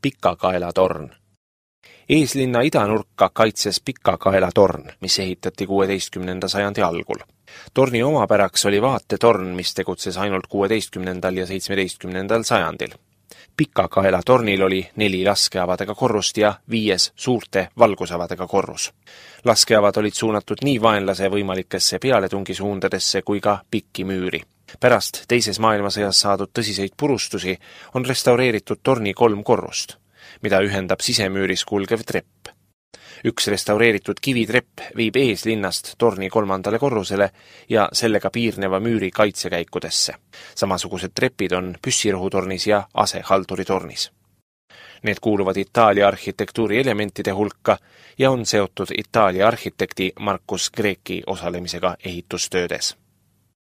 Pikakaela-torn. Eeslinna idanurka kaitses Pikakaela-torn, mis ehitati 16. sajandi algul. Torni omapäraks oli vaatetorn, mis tegutses ainult 16. ja 17. sajandil. Pikakaela-tornil oli 4 laskeavadega korrust ja 5 suurte valgusavadega korrus. Laskeavad olid suunatud nii vaenlase võimalikesse pealetungisuundadesse kui ka pikki müüri. Pärast teises maailmasõjas saadud tõsiseid purustusi on restaureeritud torni 3 korrust, mida ühendab sisemüüris kulgev trepp. Üks restaureeritud kivitrepp viib eeslinnast torni 3. korrusele ja sellega piirneva müüri kaitsekäikudesse. Samasugused trepid on püssirohutornis ja asehalduritornis. Need kuuluvad Itaalia arhitektuuri elementide hulka ja on seotud Itaalia arhitekti Marcus Greci osalemisega ehitustöödes.